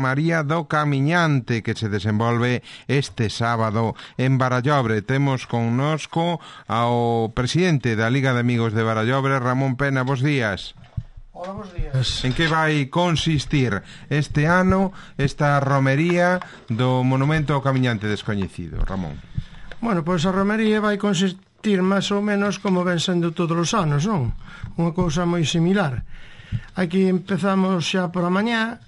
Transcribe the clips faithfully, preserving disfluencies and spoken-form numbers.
Romaría do Camiñante que se desenvolve este sábado en Barallobre. Temos connosco ao presidente da Liga de Amigos de Barallobre, Ramón Pena. Bos días. Hola, bos días. En que vai consistir este ano esta romería do Monumento ao Camiñante Descoñecido, Ramón? Bueno, pois a romería vai consistir máis ou menos como ven sendo todos os anos, non? Unha cousa moi similar. Aquí empezamos xa por a mañá,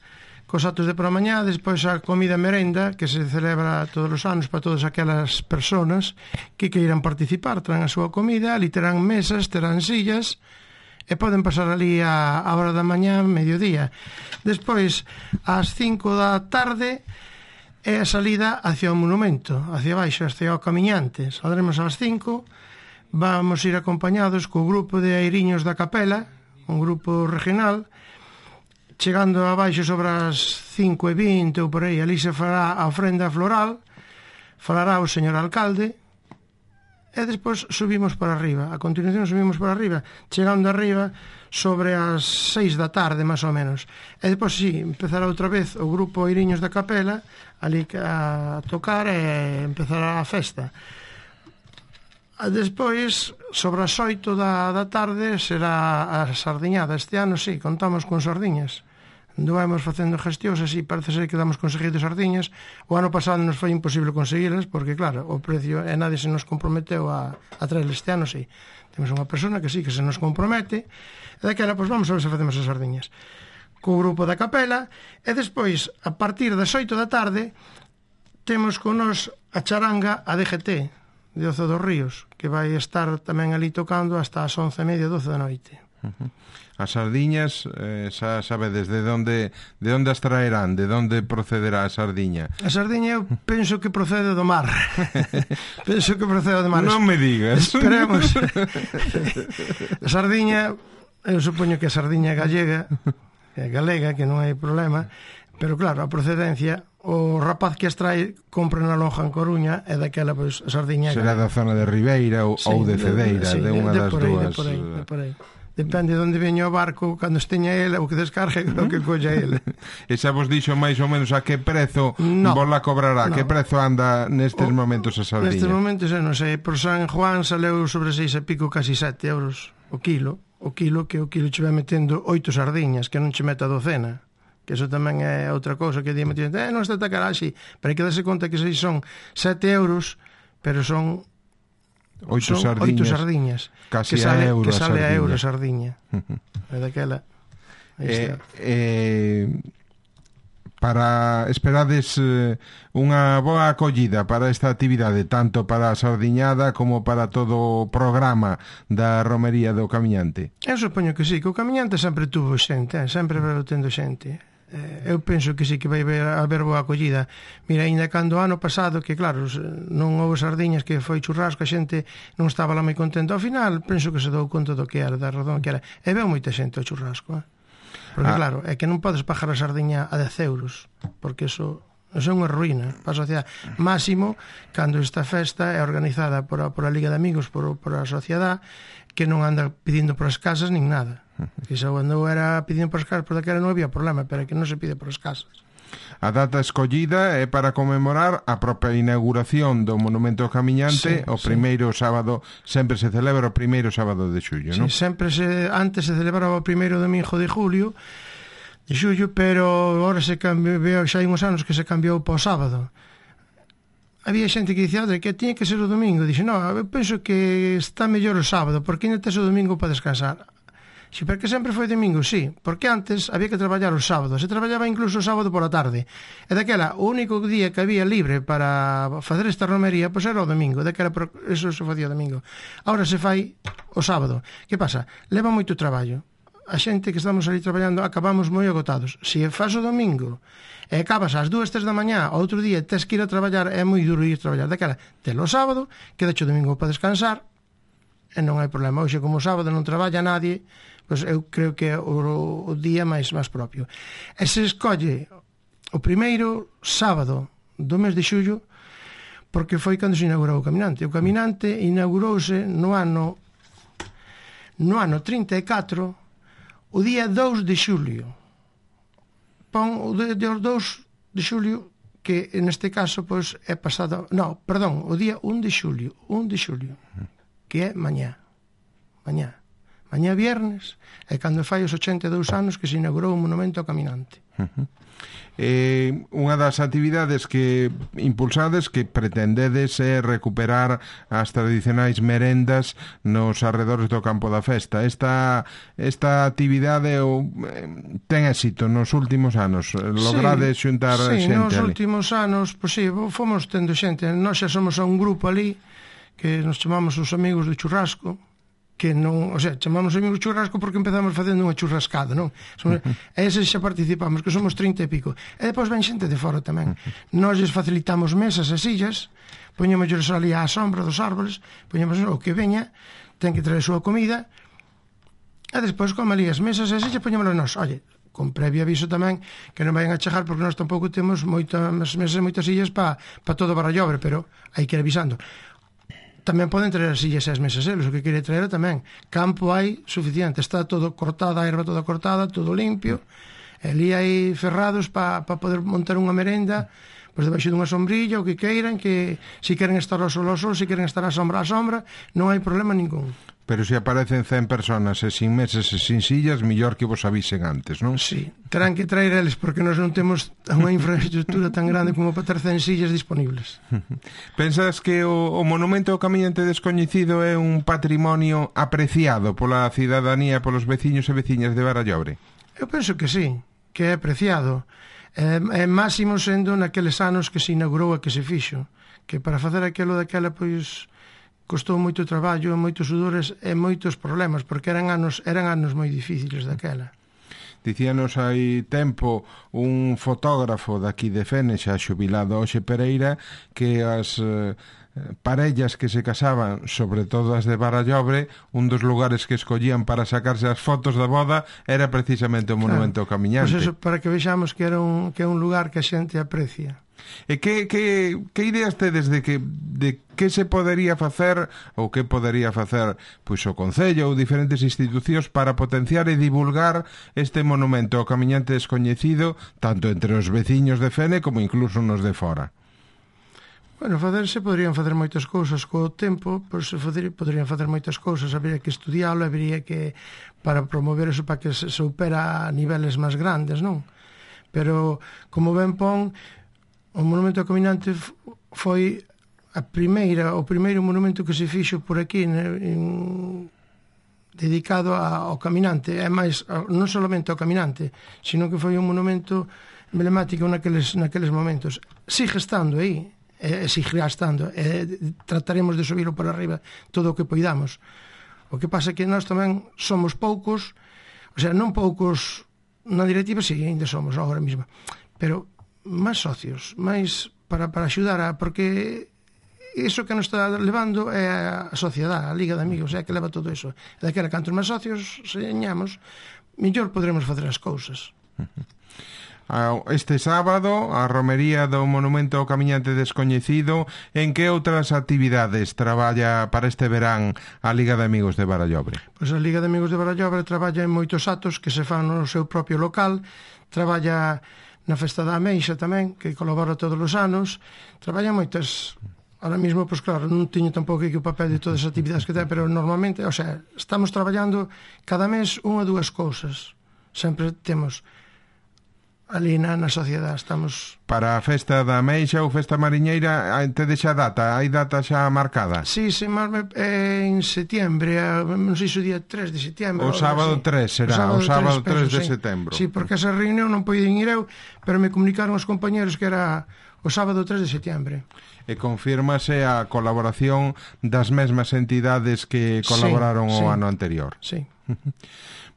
cos actos de por a mañá, despois a comida merenda, que se celebra todos os anos para todas aquelas personas que queiran participar, traen a súa comida, ali terán mesas, terán sillas, e poden pasar ali a, a hora da mañá, mediodía. Despois, ás cinco da tarde, é a salida hacia o monumento, hacia baixo, hacia o Camiñante. Saldremos ás cinco, vamos ir acompañados co grupo de airiños da capela, un grupo regional. Chegando abaixo sobre as cinco e vinte ou por aí, ali se fará a ofrenda floral, falará o señor alcalde, e despois subimos para arriba. A continuación subimos para arriba, chegando arriba sobre as seis da tarde, máis ou menos. E despois, sí, empezará outra vez o grupo airiños da capela, ali a tocar e empezará a festa. Despois, sobre as oito da, da tarde, será a sardiñada. Este ano, sí, contamos con sardiñas. Anduemos facendo gestións, así parece ser que damos conseguido sardiñas. O ano pasado nos foi imposible conseguilas, porque, claro, o precio, e nadie se nos comprometeu a, a traer este ano, sí. Temos unha persona que sí, que se nos compromete, e daquela, pois vamos a ver se facemos as sardiñas. Co grupo da capela, e despois, a partir das oito da tarde, temos con nos a charanga a D G T, de Ozo dos Ríos, que vai estar tamén ali tocando hasta as once e media, doce da noite. Uh-huh. As sardiñas, eh, xa sabedes de onde de onde as traerán, de onde procederá a sardiña? A sardiña eu penso que procede do mar. Penso que procede do mar. Non me digas. Esperemos. A sardiña, eu supoño que a sardiña gallega, é galega, que non hai problema, pero claro, a procedencia, o rapaz que as trae compra na lonja en Coruña e daquela, pois, a sardiña será da zona de Ribeira ou, sí, ou de Cedeira, sí, de unha de das por aí, dúas. De por aí, de por aí. Depende de onde veña o barco, cando esteña ele, o que descargue, o que colla ele. E xa vos dixo máis ou menos a que prezo no, vos la cobrará? No. Que prezo anda nestes o, momentos a sardiña? Nestes momentos, non sei, por San Juan saleu sobre seis e pico, casi sete euros o kilo. O kilo que o kilo che vai metendo oito sardiñas, que non che meta docena. Que eso tamén é outra cousa que di metendo, eh, non está tan cara así, pero hai que darse conta que se son sete euros, pero son oito son sardiñas, oito sardiñas casi que sale, a euro que sale a a euro a sardiña. É daquela. Eh, eh, para esperades eh, unha boa acollida para esta actividade, tanto para a sardiñada como para todo o programa da romería do Camiñante? Eu supoño que sí, que o Camiñante sempre tuvo xente, eh? sempre veo tendo xente. Eh, eu penso que sí que vai haber boa acollida. Mira, ainda cando o ano pasado, que claro, non houve sardiñas, que foi churrasco, a xente non estaba lá moi contenta. Ao final, penso que se dou conta do que era, da razón que era. E veo moita xente ao churrasco, eh? Porque ah. claro, é que non podes pagar a sardiña a dez euros, porque eso, eso é unha ruína para a sociedade. Máximo, cando esta festa é organizada por a, por a Liga de Amigos, por, por a sociedade, que non anda pedindo por as casas nin nada. Que xa cando era pedindo por as casas, por daquela non había problema, pero é que non se pide por as casas. A data escollida é para conmemorar a propia inauguración do Monumento ao Camiñante, sí, o primeiro sí. sábado, sempre se celebra o primeiro sábado de xullo, sí, non? Sempre se, antes se celebraba o primeiro domingo de julio, de xullo, pero agora se cambiou, xa hai uns anos que se cambiou para o sábado. Había xente que dicía que tiña que ser o domingo. Dixe, non, eu penso que está mellor o sábado, porque ainda tes o domingo para descansar. Si, porque sempre foi domingo, sí, porque antes había que traballar o sábado, se traballaba incluso o sábado pola tarde, e daquela o único día que había libre para facer esta romería, pois era o domingo, daquela eso se facía o domingo. Ahora se fai o sábado. Que pasa? Leva moito traballo. A xente que estamos ali traballando acabamos moi agotados. Se faz o domingo e acabas ás dúas, tres da mañá, outro día tes que ir a traballar, é moi duro ir a traballar. Daquela, telo o sábado, quedache o domingo para descansar, e non hai problema. Hoxe, como o sábado non traballa nadie, pois eu creo que é o, o día máis, máis propio. E se escolle o primeiro sábado do mes de xullo, porque foi cando se inaugurou o Caminante. O Caminante inaugurouse no ano no ano trinta e catro, o día dous de xulio. Pon o de, de os dous de xulio, que neste caso pois é pasado, no, perdón, o día un de xulio, un de xulio, que é mañá. Mañá. Mañá viernes é cando fai os ochenta e dous anos que se inaugurou o Monumento ao Caminante. Uh-huh. Eh, unha das actividades que impulsades, que pretendedes, é recuperar as tradicionais merendas nos arredores do campo da festa. Esta, esta actividade o, ten éxito nos últimos anos. Logrades sí, xuntar sí, xente nos ali. últimos anos, pois sí, fomos tendo xente. Nós xa somos a un grupo ali que nos chamamos os amigos do churrasco, que non, o sea, chamamos amigos churrasco porque empezamos facendo unha churrascada, non? Somos, e eses xa participamos, que somos trinta e pico. E depois ven xente de fora tamén. Nós lles facilitamos mesas e sillas, poñemos ali á sombra dos árboles, poñemos o que veña, ten que traer a súa comida, e despois, como ali as mesas e sillas, poñémoslo nós. Oye, con previo aviso tamén, que non vayan a chegar, porque nós tampouco temos moitas mesas e moitas sillas para pa todo Barallobre, pero hai que ir avisando. Tamén poden traer as sillas e as mesas eles, o que quere traer tamén. Campo hai suficiente, está todo cortada, a erva toda cortada, todo limpio, e ali hai ferrados para pa poder montar unha merenda, pois debaixo dunha sombrilla, o que queiran, que se queren estar ao sol ao sol, se queren estar á sombra á sombra, non hai problema ningún. Pero se aparecen cen personas e sin mesas e sin sillas, mellor que vos avisen antes, non? Sí, terán que traer eles, porque nós non temos unha infraestructura tan grande como para ter cen sillas disponibles. Pensas que o, o Monumento ao Camiñante Descoñecido é un patrimonio apreciado pola cidadanía, polos veciños e veciñas de Barallobre? Eu penso que sí, que é apreciado. É, é máximo sendo naqueles anos que se inaugurou e que se fixo, que para facer aquilo daquela, pois, costou moito traballo, moitos sudores e moitos problemas, porque eran anos eran anos moi difíciles daquela. Dicíanos hai tempo un fotógrafo daqui de Fene, xa xubilado, Oxe Pereira, que as eh, parellas que se casaban, sobre todo as de Barallobre, un dos lugares que escollían para sacarse as fotos da boda era precisamente o Monumento ao Camiñante. Pois eso, para que vexamos que era un, que é un lugar que a xente aprecia. E que, que, que ideas tedes de que, de que se podería facer ou que podería facer pois o Concello ou diferentes institucións para potenciar e divulgar este monumento ao Camiñante Descoñecido tanto entre os veciños de Fene como incluso nos de fora? Bueno, facerse poderían facer moitas cousas co tempo, pois poderían facer moitas cousas, habería que estudiálo, habería que para promover eso para que se supera a niveles máis grandes, non? Pero como ben pon, o Monumento ao Caminante foi a primeira, o primeiro monumento que se fixo por aquí en, dedicado ao caminante, é máis non solamente ao caminante, sino que foi un monumento emblemático naqueles, naqueles momentos. Sigue estando aí, e seguirá estando, e trataremos de subirlo por arriba todo o que poidamos. O que pasa é que nós tamén somos poucos, o sea, non poucos na directiva, si, sí, ainda somos agora mesmo, pero máis socios, máis para, para axudar a, porque iso que nos está levando é a sociedade, a Liga de Amigos, é que leva todo iso. Daquela, cantos máis socios señamos, mellor poderemos facer as cousas. Este sábado, a romería do Monumento ao Camiñante Descoñecido, en que outras actividades traballa para este verán a Liga de Amigos de Barallobre? Pois a Liga de Amigos de Barallobre traballa en moitos actos que se fan no seu propio local, traballa na Festa da Ameixa tamén, que colabora todos os anos, traballa moitas. Ahora mesmo, pois claro, non teño tampouco aquí o papel de todas as actividades que ten, pero normalmente, o sea, estamos traballando cada mes unha ou dúas cousas. Sempre temos ali na, na sociedade, estamos... Para a Festa da Ameixa ou Festa Mariñeira, tedes xa data? Hai data xa marcada? Sí, sí, é en setiembre, non sei se o día tres de setiembre. O sábado tres será, o sábado tres de setembro. Sí, porque esa reunión non poden ir eu, pero me comunicaron os compañeros que era o sábado tres de setembro. E confírmase a colaboración das mesmas entidades que colaboraron sí, o sí. ano anterior. Sí.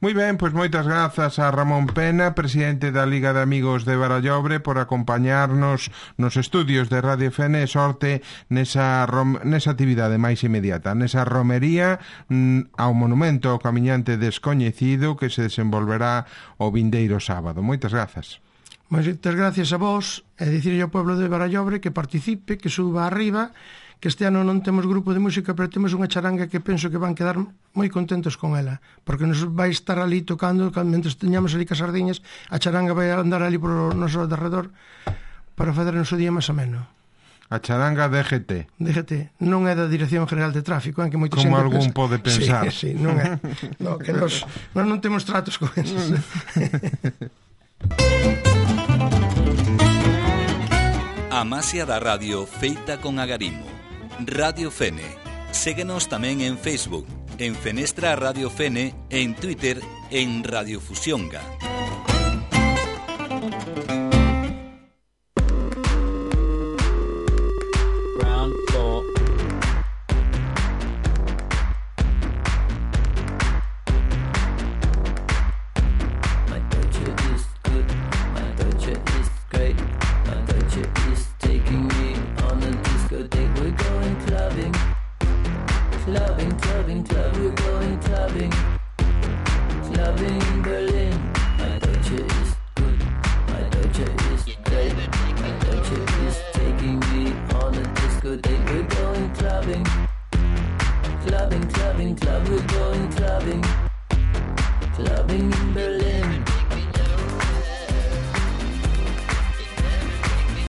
Moi ben, pois moitas grazas a Ramón Pena, presidente da Liga de Amigos de Barallobre, por acompañarnos nos estudios de Radio Fene, sorte nesa, rom, nesa actividade máis inmediata, nesa romería mm, ao Monumento ao Camiñante Descoñecido que se desenvolverá o vindeiro sábado. Moitas grazas. Moitas gracias a vos e dicirlle ao pueblo de Barallobre que participe, que suba arriba, que este ano non temos grupo de música, pero temos unha charanga que penso que van quedar moi contentos con ela, porque nos vai estar ali tocando, mentre teñamos ali cas sardiñas, a charanga vai andar ali por o noso derredor, para fazer no seu día máis ameno. A charanga D G T. D G T non é da Dirección General de Tráfico, en que moita como xente algún pensa... pode pensar. Sí, sí, non é. No, que nos, nos non temos tratos con esos. A Masia da Radio feita con agarimo. Radio Fene. Séguenos tamén en Facebook, en Fenestra Radio Fene, en Twitter, en Radio Fusionga. Clubbing, clubbing, club, we're going